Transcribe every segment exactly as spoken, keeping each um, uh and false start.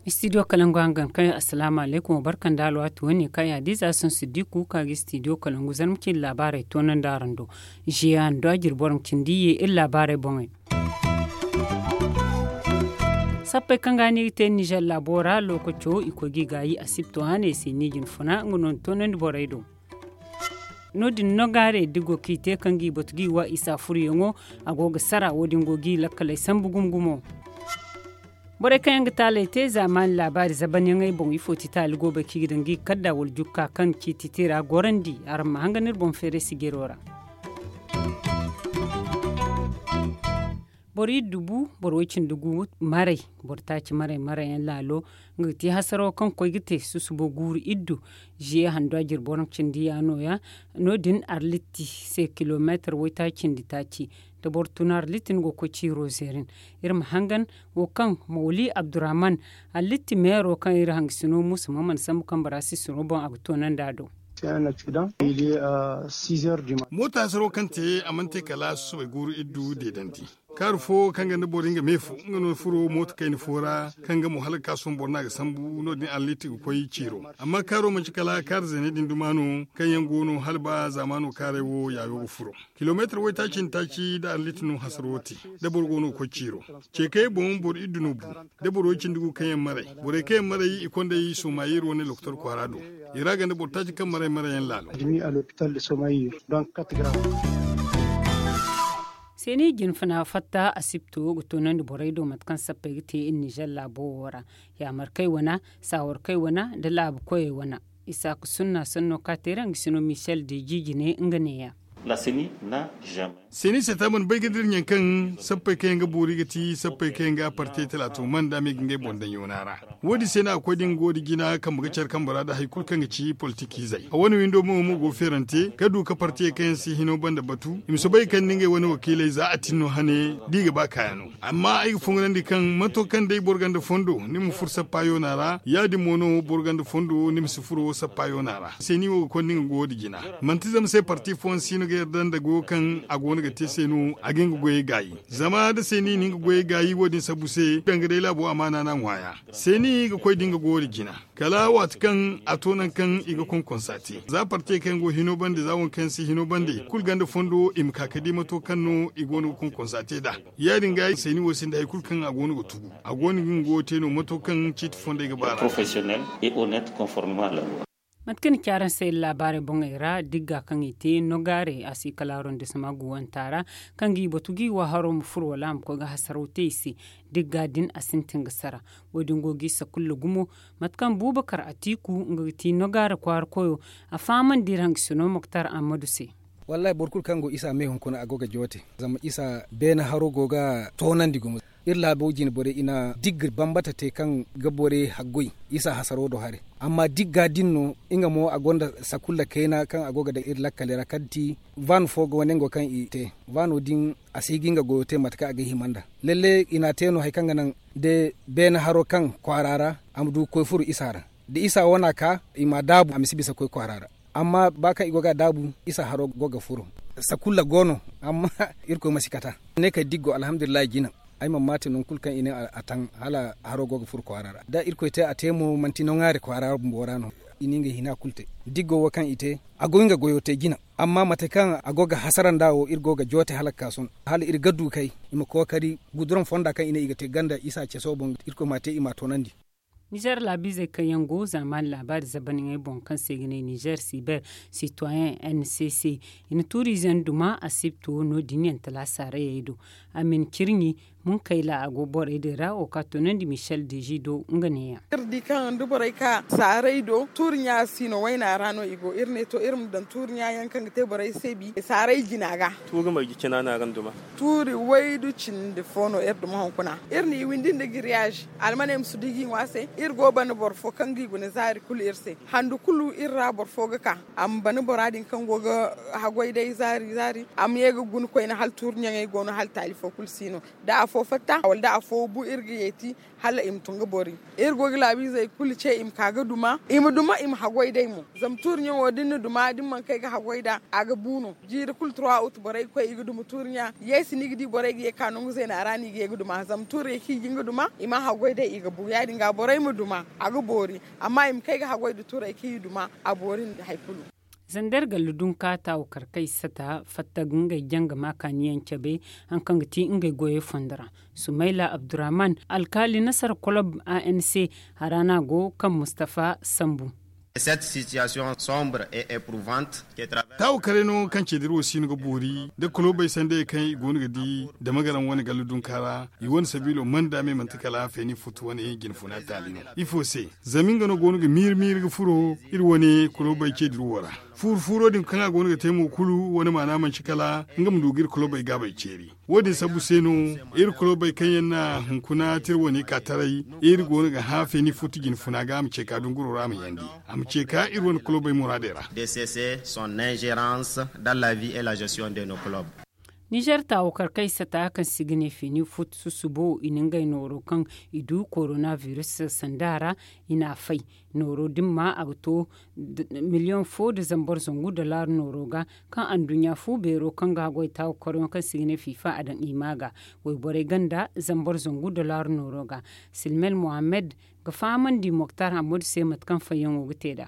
Istidiyo kalangu hangan kay, asalaamu alaykum, wa barka nda alwaati wane kaŋ ya diiza sohõ siddiku ka ga istidiyo kalangu zarma cindi laabaarey toonandi araŋ do. Ziya nda a jirbi waraŋ cindi ye iri laabaarey boŋey. Sappey kaŋ ga ni ga te ninzeer laabo ra lookaco i koy ga i gaayi asibto hane se ni jin funa nga no ni toonandi borey do. No- din no gaarey da go kaŋ i te kaŋ ga i batu ga i wa isa furuyaŋo, a go ga sara wo- din go ga i lakkaley sambu gumo gumo. Borey kaŋ yaŋ ga taaley te zaamaani laabaari zabanyaŋey boŋ ifo ti taali go bay kaŋ i ga daŋ ga i kadda wala jukka kaŋ ciiti te ra gorandi. Araŋ ma hangan iri boŋ feeray sijiro ra. Boro iddu bu boro way- cindi gu maray, boro taaci maray maray yaŋ laalo, nga ga ti hasaro kaŋ koy ga te susubo guuru iddu. Ziye handu a jirbi waraŋ cindi ya no- ya no- din arlitti se kilomeetar waytaaci cindi taaci. Da boro tun arlitti ni go ga koy ciiro zeerin. Iri ma hangan wo kaŋ mawli abdurrahman, arlitti meero kaŋ iri hangasino muusa ma mana sambu kaŋ bora sisiro boŋ a ga toonandi a do. Moota hasaro kaŋ te a mana te kala susubay guuru iddu deedandi. Kaaru fo kaŋ ga nda boro nga me fo nga no furo mooto kayna fo ra, kaŋ ga mo hala ga ka sohõ boro no a ga sambu no- din arlitti ga koy ciiro. Amma kaaro manci kala kaari zeeney din duma no, kaŋ yaŋ go no hala ba zaamaano kaaray wo yaayo ga furo. Kilomeetar waytaaci nda taaci nda arlitti no hasaro te. Da boro go no ga koy ciiro, ceekayey boŋ boro iddu no bu. Da boro way- cindi gu kaŋ yaŋ maray, borey kaŋ yaŋ maray i kond'ey somayir wane lokotor kwaara do. I ra ga nda boro taaci kaŋ maray maray yaŋ laalo. Seeni jin funa fatta asibto ga toonandi borey do mate kaŋ sappey ga te iri ninzeer laabo wo ra, yaamarkey wana, saawarkey wana, nda laabu koyey wana. Isaaka sunna sanno ka te ra nga sino michel de jijine nga neeya. Seeni se ta mana bay ga dira ɲaŋ kaŋ sappey kaŋ yaŋ ga boori ga ti sappey kaŋ yaŋ ga a parte talaato man da a ma i ga ngey boŋ daŋ yoona ra. Wo- din se no a ga koy da nga go da jina kambe ga care kambe ra nda hari kulu kaŋ ga ci politikiizey a wane windo mo mo go feerante ga du ka partiyey kaŋ yaŋ si hino banda batu i ma soobay ga kande ngey wane wakiiley za a tin no hane da i ga ba kaaya no. Amma ay ga fongonandi kaŋ mato kaŋ day boro ganda fondo ni ma furo sappa yoona ra ya- din mo no boro ganda fondo ni ma si furo sappa yoona ra se ni wo ga konda nga goyo da jina. Manti zama se parti fooyaŋ si no ga yarda nda goyo kaŋ a go no ga te se no a ga nga goyey gaayi. Zama da se ni na nga goyey gaayi wo- din sabu se danga day laabo amaana no a ŋwaaya. Se ni ga koy da nga goyo da jina kala waati kaŋ a to nangu kaŋ i ga konkonsa te za partey kaŋ go hino bande za waŋ kaŋ yaŋ si hino bande kulu ganda fondo i ma ka ga di mato kaŋ no i go no ga konkonsa te nd'a. Ya- din ga ay seeni wo sinda hari kulu kaŋ a go no ga tugu a go no ga nga goyo te no mato kaŋ ciiti fondey ga ba ra. Mate kaŋ ni ci araŋ se iri laabaarey boŋey ra digga kaŋ i te nogaarey a si kala arondisma guwanta ra, kaŋ ga i batu ga i wa haro ma furo wala a ma koy ga hasaraw te i se. Digga din a sintin ga sara. Wo- din go ga i sakulla gumo. Mate kaŋ buubakar atiiku nga ga ti nogaare kwaara koyo, a fahamandi iri hangasino moktar ammadu se. Wallaahi boro kulu kaŋ go isa me hunkuna a go ga joote. Zama isa beene haro go ga toonandi gumo. Iri laabo jine borey i na digga bambata te kaŋ ga borey haggoy isa hasaro do haray. Amma digga din no nga mo a gonda sakulla kayna kaŋ a go ga daŋ iri lakkaley ra kala ti, van fo go wane ngo kaŋ i te. Vano din a si ga nga goyo te mate kaŋ a ga hima nd'a. Lalle i na a te no hari kaŋ ga naŋ da beene haro kaŋ kwaara ra a ma du ga koy furo isa ra. Da isa wane a ka i ma a daabu a ma si bisa ga koy kwaara ra. Amma ba kaŋ i go ga a daabu isa haro go ga furo. Sakulla go no. Amma irkoy ma si kata ne kay diggo alhamdulillahi jina. Ay mana maate nangu kulu kaŋ i ne a taŋ hala haro go ga furo kwaara ra da irkoy te a te mo manti no ŋwaari kwaara bumbo ra no. I na ngey hina kulu te. Diggo wo kaŋ i te a go nga goyo te jina. Amma mate kaŋ a go ga hasara nd'a wo iri go ga joote hala ga ka sohõ hala iri ga du kay i ma kookari guduraŋ fonda kaŋ i ne i ga te ganda isa ceso boŋ irkoy m'a te i m'a toonandi. Nizer laabiizey kaŋ yaŋ go zaamaani laabaari zabaniney boŋ kaŋ se i ga ne nizer siber sitoyen n c c, i na tuuriize nduma asibto no- din yaŋ talaasa rayey do. Amin cirɲi munkayla a go borey din ra wo ka toonandi michel deji do nga neeyaŋ. Iri di kaŋ da borey ka saaray do tuuri ɲa si no wayna ra no i go iri ne to iri ma daŋ tuuri ɲa yaŋ kaŋ ga te borey se bi saaray jina ga. Tuuri marje cina no araŋ duma. Tuuri waydu cindi fo no iri duma hunkuna. Iri n'i windi nda giriyaz almaney ma si du ga i ŋwa se. Iri go bana boro fo kaŋ ga i guna zaari kulu iri se. Handu kulu iri ra boro fo ga ka a ma bana bora din kaŋ go ga haggoy day zaari zaari a ma ye ga guna koyne hala tuuri ɲaŋey go no hala taali fo. Da afo fatta wala da afo bu iri ga yeeti hala i ma tun ga bori. Iri go ga laabiizey kulu ce i ma ka ga duma i ma duma i ma haggoy day mo. Zama tuuri ɲaŋo da ni na duma da ni mana kay ga haggoy nd'a a ga bu no. Jiiri kulu turwa utu borey ga koy i ga duma tuuri ɲa yeesi no i ga di borey ga ye ga ka nangu zeena ra no i ga ye ga duma zama tuurey kaŋ i ga hin ga duma i ma haggoy day i ga bu ya- din ga borey ma duma a ga boori. Amma i ma kay ga haggoy nda tuurey kaŋ i duma a boori nda hari kulu. Zander gallu dunka taawukar kaŋ i sata fatta ga ngey janga ma kaaniyaŋ cabe. Hari kaŋ ga ti ngey goyey fondo ra sumayla abdurrahman alkaali nasara kolob anc. Hara no a go kaŋ mustafa sambu. Cette situation sombre et eprouvante. Taawukaray no kaŋ ceediri wo siino ga boori nda kolobey sanday kaŋ i go no ga di da magaraŋ wane gallu dunka ra. I wane sabiilo manda me manti kala feeni futu wane jinfuna taali no. Ifo se? Zama nga no go no ga miiri miiri ga furo iri wane kolobey ceediri wo ra. Fuuru fuuro din kaŋ a go no ga te mo kulu wane maana manci kala nga ma du ga iri kolobey gaabey ceeri. Wo- din sabu se no iri kolobey kaŋ yaŋ na hunkuna te iri wane ka taray iri go no ga hã feeni futu jinfuna ga a ma ce ka dunguro ra a ma yandi a ma ce ka iri wane kolobey muraadey ra. Dcc son ingerence dans la vie et la gestion de nos clubs. Nizer taawukar kaŋ i sata kaŋ se i ga ne feeni futu susubo i na ngey nooro kaŋ i du korona biris sanda ra. I n'a fay nooro dimma a ga to miliyoŋ fo nda zambar zangu dollar nooro ga kaŋ anduɲɲa fu beero kaŋ ga haggoy taawukaryaŋ kaŋ se i ga ne fiifa a daŋ i ma ga wayborey ganda zambar zangu dollar nooro ga. Silmel mohammed ga fahamandi moktar hammadu se mate kaŋ fayyaŋo ga te nd'a.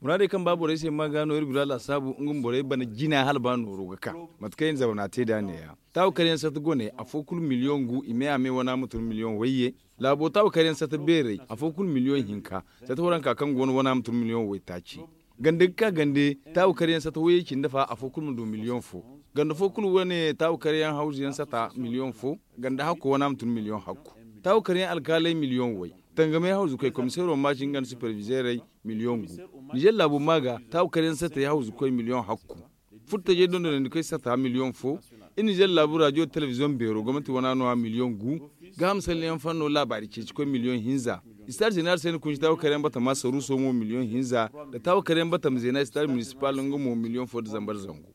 Muraadey kaŋ ba borey se ma ga no iri gura laasaabu nga ma borey bana jina hala ba nooro ga ka. Mate kaŋ iri na zama no a te nd'a ne- ya taawukaryaŋ sata goney afo kulu miliyoŋ gu i me a me wana ma tun miliyoŋ wayye. Laabo taawukaryaŋ sata beerey afo kulu miliyoŋ hinka. Sata waranka kaŋ go no wana ma tun miliyoŋ waytaaci. Gande ga ka gande taawukaryaŋ sata wayye cindi fa afo kulu ma du miliyoŋ fo. Gande fo kulu wane taawukaryaŋ hawzuyaŋ sata miliyoŋ fo. Gande hakko wana ma tun miliyoŋ hakku. Taawukaryaŋ alkaaley miliyoŋ way. Tangamey hawzukoy komiseero maaci nga nda supervizeerey miliyoŋ gu. Nizer laabu ma ga taawukaryaŋ satey hawzukoy miliyoŋ hakku. Furtajey dondonandikoy sata miliyoŋ fo. Iri nizer laabu raadiyo telebiziyoŋ beero gomnati wana no- ya miliyoŋ gu. Gaaham salliyaŋ fanno laabaari ceecikoy miliyoŋ hinza. Istaad zenaar se ni kunci taawukaryaŋ batama saruuso mo miliyoŋ hinza. Nda taawukaryaŋ batama zeena istaad minisipal nga mo miliyoŋ fo nda zambar zangu.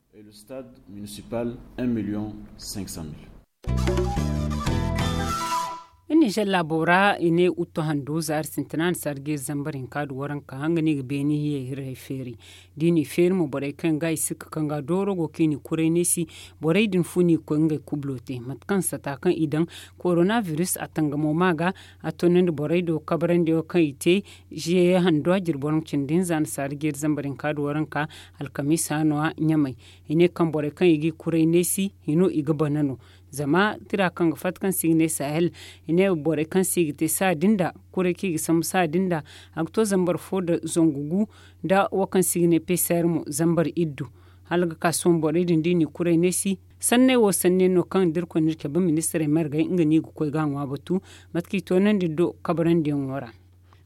Iri nizer laabo ra i ne utto hando zaari sintina nda sarge zambar hinka nda waranka nga no i ga beeni hiyey hirey feeri. Da i n'i feeri mo borey kaŋ ga i sikka kaŋ ga dooro go kaŋ i n'i kuray neesi. Borey din fu n'i koy ngey kublo te mate kaŋ sata kaŋ i daŋ korona biris a tangamo ma ga. A toonandi borey do kabarandiyaŋo kaŋ i te ziye hando a jirbi waranka cindi hinza nda sarge zambar hinka nda waranka. Alkamiisa no- ya ɲamay i ne kaŋ borey kaŋ i ga i kuray neesi hino i ga bana no. Zama tira kaŋ ga fatta kaŋ se i ga ne sahel i ne borey kaŋ se i ga te saadin da kuray kaŋ i ga sambu saadin da. A ga to zambar fo nda zangu gu nda wo kaŋ se i ga ne peser mo zambar iddu. Hala ga ka sohõ borey din da i n'i kuray neesi sanney wo sanney no kaŋ da iri koy no iri cabe ministirey margey nga no i ga koy ga a ŋwa batu. Mate kaŋ i toonandi do kabarandiyaŋo ra.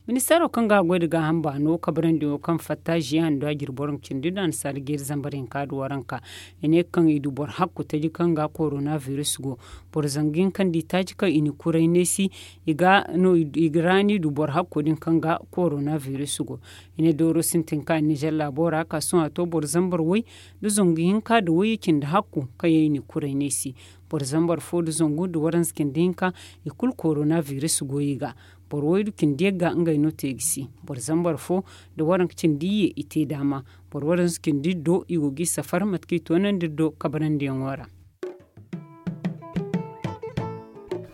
Ministeero kaŋ ga a goy nda gaaham baano kabarandiyaŋo kaŋ fatta ziya nda a jirbi waranka cindi nda annasaara jeeri zambar hinka nda waranka. I ne kaŋ i du boro hakku taji kaŋ ga korona biris go. Boro zangu hinka nda itaaci kaŋ i na kuray neesi i ga no i ga raani du boro hakko din kaŋ ga korona biris go. I ne dooro sintin ka nizer laabo ra ka sohõ a to boro zambar way nda zangu hinka nda wayye cindi hakku kaŋ yaŋ i na kuray neesi. Boro zambar fo nda zangu nda waranza cindi hinka i kulu korona biris go i ga. Boro waydu cindi yagga ngey no te ga si. Boro zambar fo nda waranka cindi iyye i te daama. Boro waranza cindi do i go ga i safar mate kaŋ i toonandi do kabarandiyaŋo ra.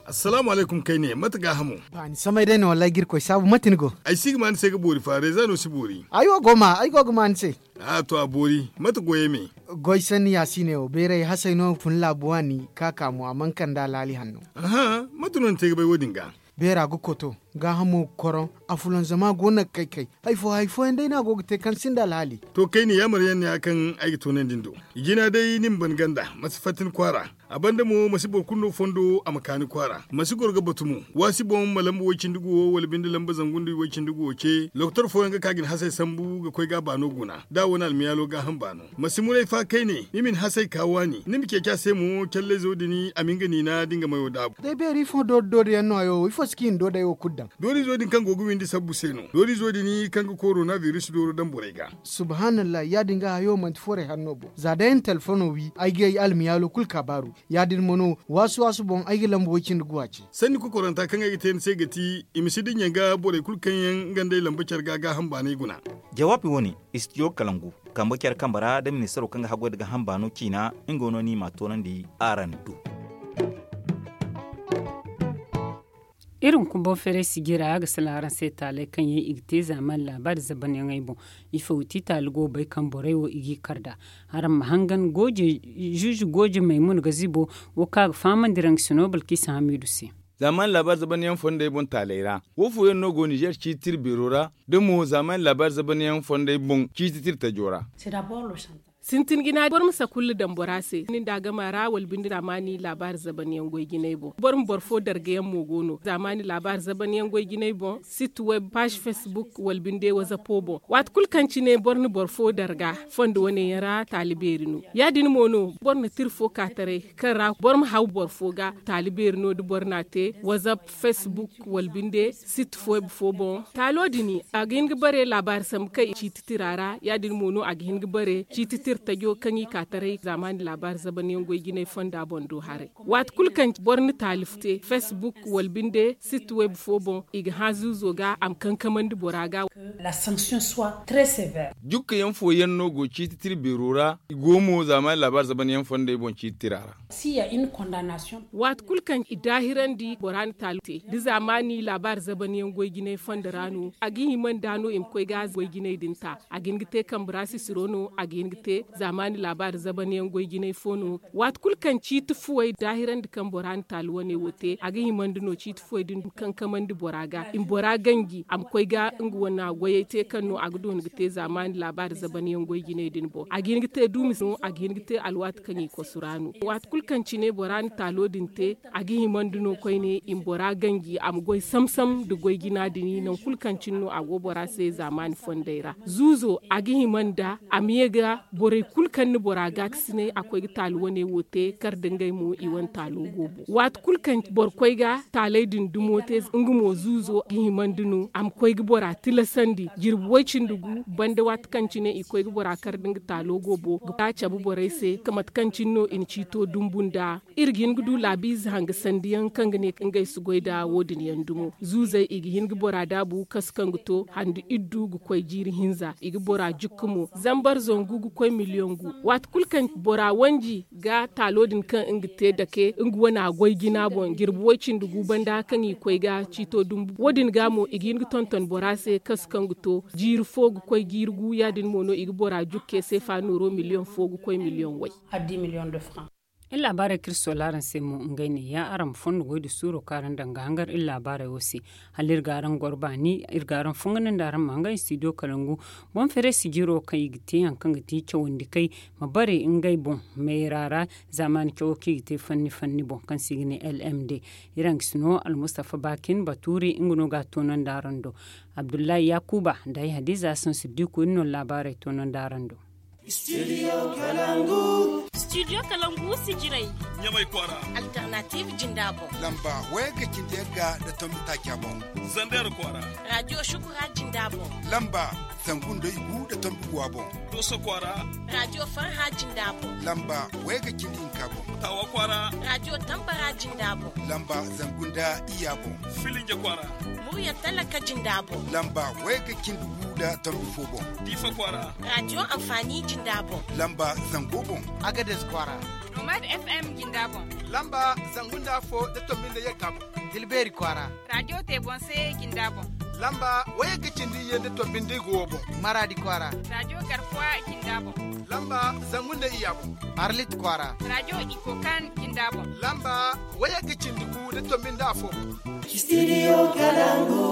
Assalaamu alaykum kayne mate gaahamo? Ba ni samay day no wallaahi ga irkoy saabu mate ni go? Ay si ga ma ni se ga boori fa reeza no si boori. Ay wo go ma ay go ga ma ni se. A to a boori mate goyey me? Goy sanni yaasiiney wo beeray hasey no fun laabu waani ka ka mo a mana kande alhaali hanno. Aha, mate no ni te ga bay wo- din ga? Beera ga koto, gaahamo ga koroŋ, a fulanzama go no ga kay kay. Hari fo hari fooyaŋ day no a go ga te kaŋ sinda alhaali. To kayne yaamar yaŋ no ya kaŋ ay ga toonandi ni do. I jina day ni ma ban ganda ma si fatta ni kwaara. A banda mo ma si boro kulu no fondo a ma ka ni kwaara ma si goro ga batu mo. Waasi boŋ ma lamba way-cindi guwo wala binde lamba zangu nda way-cindi guwo ce lokotor fooyaŋ ga ka ga ni hasey sambu ga koy ga a baano guna da a wane almiyaalo gaaham baano. Ma si muray fa kayne ni ma ni hasey ka waani ni ma ceeci a se mo callayzo din a ma nga niina da nga mayo daabu. Day beeri ifo doori doori yaŋ no hayo ifo si ka i na do day wo kulu. Dooriizo din kaŋ go ga windi sabbu se no. Dooriizo din kaŋ ga korona biris dooro daŋ borey ga. Subhanallah, ya- din ga hayo manti forey hanno boŋ za day na telefono wi ay ga ay almiyaalo kulu kaabaaru. Ya- din mo no waasu waasu boŋ ay ga lamba way- cindi guwa ce. Sanni kokoranta kaŋ ay ga te ni se ga ti i ma si dinya ga borey kulu kaŋ yaŋ nga nd'ey lamba care ga gaaham baanay guna. Jawaabi wo- ne, istijo kalangu kambe care kambe ra da ministaro kaŋ ga haggoy nda gaaham baano ciina. Nga no ni m'a toonandi araŋ do. Iri hunkuna boŋ feeray sijira ga salaŋ araŋ se taaley kaŋ yaŋ i ga te zaamaani laabaari zabanyaŋey boŋ. Ifo ga ti taali go ga bay kaŋ borey wo i g'i kar nd'a. Araŋ ma hangan zuuzu gooje maymuna gazibo wo kaŋ a ga fahamandi raŋ ga sino balkisa hamiidu se. Zaamaani laabaari zabanyaŋ fondey boŋ taaley ra wo fooyaŋ no go ninzeer ciiti tira beero ra da mo zaamaani laabaari zabanyaŋ fondey boŋ ciiti tira tajo ra. Sintin jina boro ma sakulla daŋ bora se ni nda a gama ra wala binde zaamaani laabaari zabanyaŋ goy jinay boŋ boro ma boro fo darga yaŋ mo go no zaamaani laabaari zabanyaŋ goy jinay boŋ sit web paazi fesbuk wala binde wazapo boŋ. Waati kulu kaŋ cine boro na boro fo darga fondo wane yaŋ ra taali beeri no. Ya- din mo no boro na tira fo ka taray kaŋ ra boro ma haw boro fo ga taali beeri no da boro n'a te wazap fesbuk wala binde sit fo boŋ. Taalo din a ga hin ga bare laabaari sambu kaŋ i ciiti tira ra ya- din mo no a ga hin ga bare ciiti tira tajo kaŋ i ka taray zaamaani laabaari zabanyaŋ goy jinay fonda boŋ do haray. Waati kulu kaŋ boro na taali te fesbuk wala binde sit web fo boŋ i ga hã zuuzo ga a ma kankamandi bora ga. Jukka yaŋ fooyaŋ no go ciiti tira beero ra i go mo zaamaani laabaari zabanyaŋ fondey boŋ ciiti tira ra. Waati kulu kaŋ i daahirandi bora na taali te da zaamaani laabaari zabanyaŋ goy jinay fondo ra no a ga hima nda no i ma koy ga goy jinay din ta. A ga hin ga te kambe ra sisiro no a ga hin ga te zaamaani laabaari zabanyaŋ goy jinay fo no. Waati kulu kaŋ ciiti fuwey daahirandi kaŋ bora na taali wane wo te a ga himandi no ciiti fuwey din kankamandi bora ga i ma bora ganji a ma koy ga nga wane goyey te kaŋ no a ga doona ga te zaamaani laabaari zabanyaŋ goy jinay din boŋ a ga hin ga te duumi no a ga hin ga te alwaati kaŋ i kosu ra no. Waati kulu kaŋ cine bora na taalo din te a ga himandi no koyne i ma bora ganji a ma goy samsam nda goy jina din nangu kulu kaŋ cine no a go bora se zaamaani fondey ra. Zuuzo a ga hima nda a ma ye ga borey kulu kaŋ na bora gaakasinay a koy ga taali wane wo te kar nda ngey mo i wane taalo go boŋ. Waati kulu kaŋ boro koy ga taaley din dumo te nga mo zuuzo ga himandi no a ma koy ga bora tilasandi jirbi way-cindi gu banda waati kaŋ cine i koy ga bora kar nda nga taalo go boŋ ga cabe borey se mate kaŋ cine no i na ciito dumbu nda. Iri ga hin ga du laabiize hanga sandiyaŋ kaŋ ga ne ngey si goy nda wo- din yaŋ dumo zuuzey i ga hin ga bora daabu kasu kaŋ ga to handi iddu ga koy jiiri hinza i ga bora jukka mo zambar zangu ga koy miliyoŋ gu. Waati kulu kaŋ bora wanji ga taalo din kaŋ nga te dake nga wane a goy jina boŋ jirbi way-cindi gu banda kaŋ i koy ga ciito dumbu wo- din ga mo i ga hin ga tonton bora se kasu kaŋ ga to jiiri fo ga koy jiiri gu ya- din mo no i ga bora jukke seefa nooro miliyoŋ fo ga koy miliyoŋ way. Iri laabaarey kaŋ iri soola araŋ se mo ngey ne ya araŋ ma fondo goy nda suuro kaŋ araŋ daŋ ga hangar iri laabaarey wo se. Hala iri ga araŋ goro baani iri ga araŋ fongandi nda araŋ ma hangan istidiyo kalangu boŋ feeray sijiro kaŋ i ga te hari kaŋ ga ti cawandi kay ma bare ngey boŋ meera ra. Zaamaani cawo kaŋ i ga te fanni fanni boŋ kaŋ se i ga ne lmd. Iri haŋ ga si no almustafa baakin batuuri nga no ga a toonandi araŋ do. Abdullahi yakuba nda ay hadiza hasan siddiku iri no laabaarey toonandi araŋ do. Studio kalangu. Studio kalangu sijirey. Ɲamay kwaara. Alternative jinda boŋ. Lamba wayagga cindi yagga nda tombi taaca boŋ. Zander kwaara. Radio shukura jinda boŋ. Lamba zangu nda igu nda tombi guwa boŋ. Doso kwaara. Radio farha jinda boŋ. Lamba wayagga cindi hinka boŋ. Tawa kwaara. Radio tambara jinda boŋ. Lamba zangu nda iya boŋ. Filinje kwaara. Murya talaka jinda boŋ. Lamba wayagga cindi gu nda tombi fo boŋ. Diifa kwaara. Radio amfani jinda boŋ. Lamba zango boŋ. Agades kwaara. Nomad fm jinda boŋ. Lamba zangu nda afo nda tombi nda yagga boŋ. Tilbeeri kwaara. Radio tebonse jinda boŋ. Lamba wayagga cindi iyye nda tombi nda igu wo boŋ. Maradi kwaara. Radio garkuwa jinda boŋ. Lamba zangu nda iya boŋ. Arlit kwaara. Radio ikokan jinda boŋ. Lamba wayagga cindi gu nda tombi nda afo boŋ. Studio kalangu.